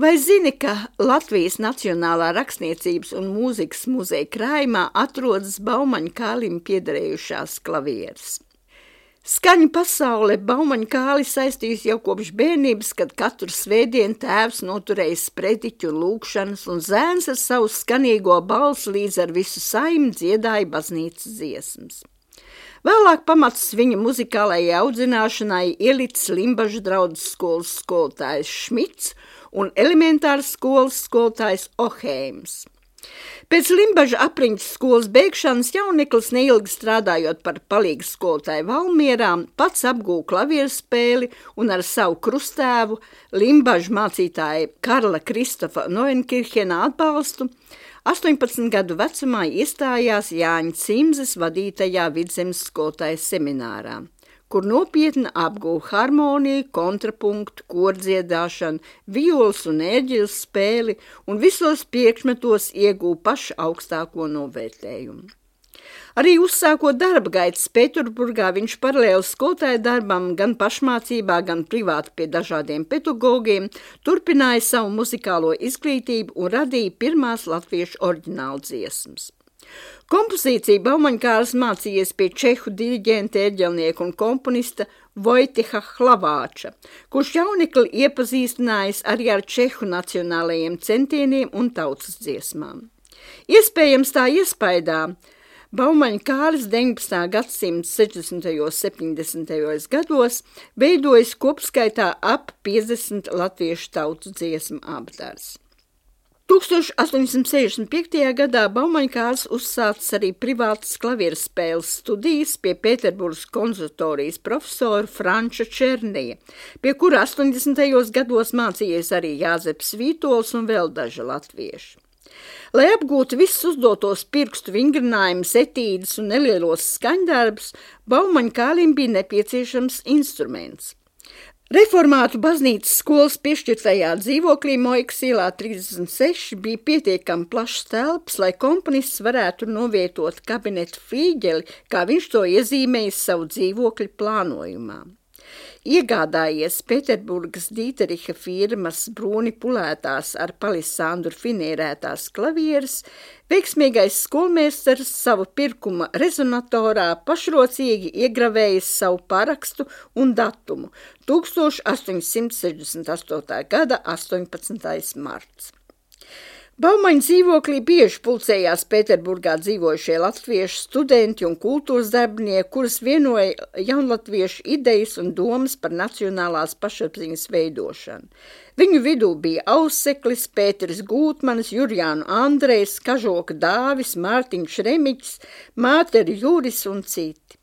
Vai zini, ka Latvijas Nacionālā rakstniecības un mūzikas muzeja krājumā atrodas Baumaņa Kālim piederējušās klavieres? Skaņu pasaule Baumaņa Kāli saistījis jau kopš bērnības, kad katru svētdienu tēvs noturējis sprediķu un lūgšanas, un zēns ar savu skanīgo balsi līdz ar visu saimi dziedāja baznīcas dziesmas. Vēlāk pamats viņa muzikālajai audzināšanai ielicis Limbažu draudzes skolas skolotājs Šmits un elementāras skolas skolotājs Oheims. Pēc Limbaža apriņķa skolas beigšanas jauneklis neilgi strādājot par palīgas skolotāju Valmierā, pats apgūva klavieru spēli un ar savu krustēvu Limbaža mācītāja Karla Kristofa Noenkirhena atbalstu 18 gadu vecumā iestājās Jāņa Cimzes vadītajā Vidzemes skolotāja seminārā, kur nopietni apguva harmoniju, kontrapunktu, kordziedāšanu, violas un ērģeļu spēli un visos priekšmetos ieguva pašu augstāko novērtējumu. Arī uzsākot darba gaitas Pēterburgā, viņš paralēli skolotāja darbam gan pašmācībā, gan privāti pie dažādiem pedagogiem, turpināja savu muzikālo izglītību un radīja pirmās latviešu oriģinālu dziesmas. Kompozīciju Baumaņa Kālis mācījies pie čehu diriģenta, ērģelnieka un komponista Vojteha Hlavāča, kurš jaunekli iepazīstinājis arī ar čehu nacionālajiem centieniem un tautas dziesmām. Iespējams tā iespaidā Baumaņa Kālis 19. gadsimta 60. un 70. gados veidojas kopskaitā ap 50 latviešu tautas dziesmu apdars. 1865. gadā Baumaņa Kālis uzsācis arī privātas klavieru spēles studijas pie Pēterburgas konservatorijas profesora Franča Černija, pie kura 80. gados mācījies arī Jāzeps Vītols un vēl daži latvieši. Lai apgūtu visus uzdotos pirkstu vingrinājumus, etīdes un nelielos skaņdarbus, Baumaņa Kālim bija nepieciešams instruments. Reformātu baznīcas skolas piešķirtajā dzīvoklī Moikas ielā 36 bija pietiekami plašs telpas, lai komponists varētu novietot kabinetu flīģeli, kā viņš to iezīmējis savu dzīvokļu plānojumā. Iegādājies Pēterburgas Dīteriha firmas brūni pulētās ar palisandru finierētās klavieres, veiksmīgais skolmeistars savu pirkuma rezonatorā pašrocīgi iegravējis savu parakstu un datumu 1868. gada 18. marts. Baumaņa dzīvoklī bieži pulcējās Pēterburgā dzīvojušie latviešu studenti un kultūras darbinieki, kurus vienoja jaunlatviešu idejas un domas par nacionālās pašapziņas veidošanu. Viņu vidū bija Auseklis, Pēteris Gūtmanis, Jurjānu Andrejs, Kažoka Dāvis, Mārtiņš Remiķis, Māteri Juris un citi.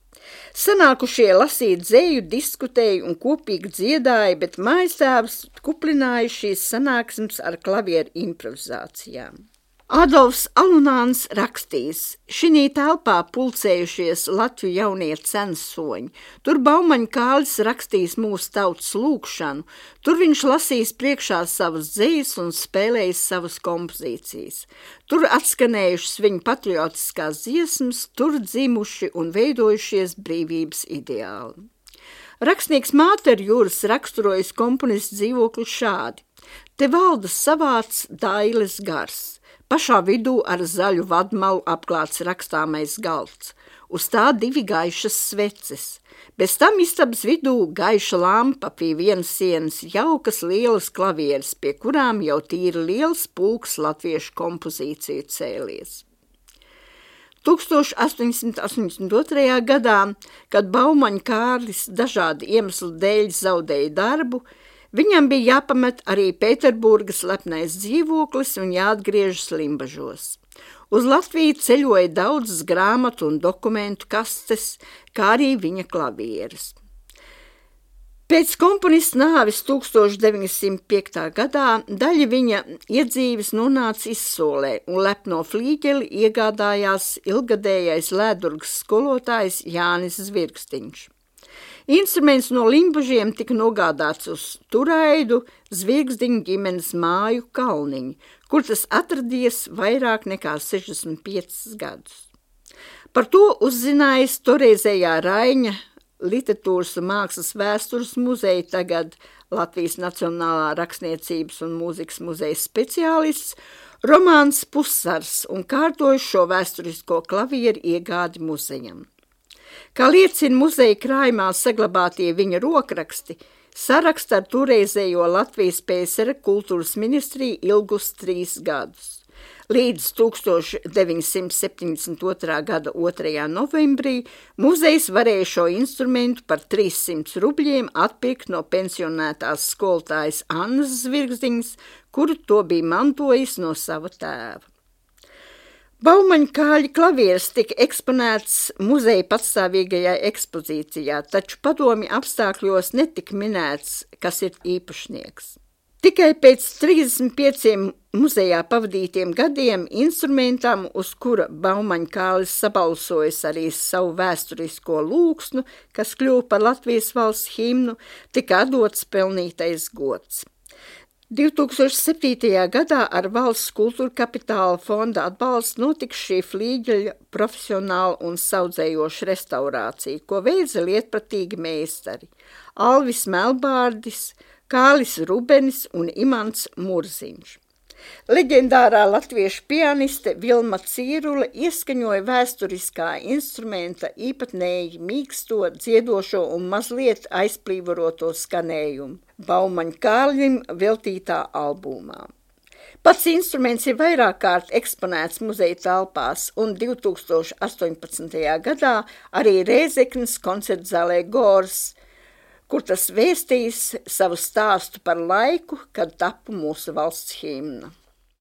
Sanākušie lasīt dzeju, diskutēja un kopīgi dziedāja, bet mājastāvs kuplināja šīs sanāksmes ar klavieru improvizācijām. Adolfs Alunāns rakstīs: šinī telpā pulcējušies Latviju jaunie censoņi. Tur Baumaņa Kālis rakstīs mūsu tautas lūgšanu, tur viņš lasīs priekšā savas dzejas un spēlējis savas kompozīcijas. Tur atskanējušas viņa patriotiskās dziesmas, tur dzimuši un veidojušies brīvības ideāli. Rakstnieks Māteri Juris raksturojas komponists dzīvokli šādi: te valda savāds dailes gars. Pašā vidū ar zaļu vadmalu apklāts rakstāmais galds, uz tā 2 gaišas sveces. Bez tam istabas vidū gaiša lampa, pie vienas sienas jaukas lielas klavieres, pie kurām jau tīri liels pulks latviešu kompozīciju cēlies. 1882. gadā, kad Baumaņa Kālis dažādu iemeslu dēļ zaudēja darbu, viņam bija jāpamet arī Pēterburgas lepnais dzīvoklis un jāatgriežas Limbažos. Uz Latviju ceļoja daudzas grāmatu un dokumentu kastes, kā arī viņa klavieres. Pēc komponista nāves 1905. gadā daļa viņa iedzīves nonāca izsolē un lepno flīģeli iegādājās ilgadējais Lēdurgas skolotājs Jānis Zvirgstiņš. Instruments no Limbažiem tika nogādāts uz Turaidu Zvirgzdiņu ģimenes māju Kalniņu, kur tas atradies vairāk nekā 65 gadus. Par to uzzinājis toreizējā Raiņa literatūras un mākslas vēstures muzeja, tagad Latvijas Nacionālā rakstniecības un mūzikas muzeja speciālists, Romāns Pusars un kārtoja šo vēsturisko klavieru iegādi muzejam. Kā liecina muzeja krājumā saglabātie viņa rokraksti, saraksta ar toreizējo Latvijas PSR kultūras ministriju ilgus 3 gadus. Līdz 1972. gada 2. novembrī muzejs varēja šo instrumentu par 300 rubļiem atpirkt no pensionētās skolotājas Annas Zvirgzdiņas, kuru to bija mantojis no sava tēva. Baumaņa kāļa klavieres tika eksponēts muzeja patstāvīgajā ekspozīcijā, taču padomju apstākļos netika minēts, kas ir īpašnieks. Tikai pēc 35 muzejā pavadītiem gadiem instrumentam, uz kura Baumaņa kālis sabalsojis arī savu vēsturisko lūksnu, kas kļuva par Latvijas valsts himnu, tika atdots pelnītais gods. 2007. gadā ar valsts kultūra kapitāla fonda atbalstu notika šī flīģeļa profesionāla un saudzējoša restaurācija, ko veica lietpratīgi meistari Alvis Melbārdis, Kālis Rubenis un Imants Murziņš. Leģendārā latviešu pianiste Vilma Cīrule ieskaņoja vēsturiskā instrumenta īpatnēji mīksto, dziedošo un mazliet aizplīvoroto skanējumu Baumaņa kālim veltītā albumā. Pats instruments ir vairāk kārt eksponēts muzeja telpās un 2018. gadā arī Rēzeknes koncertzālē Gors, kur tas vēstījis savu stāstu par laiku, kad tapu mūsu valsts himna.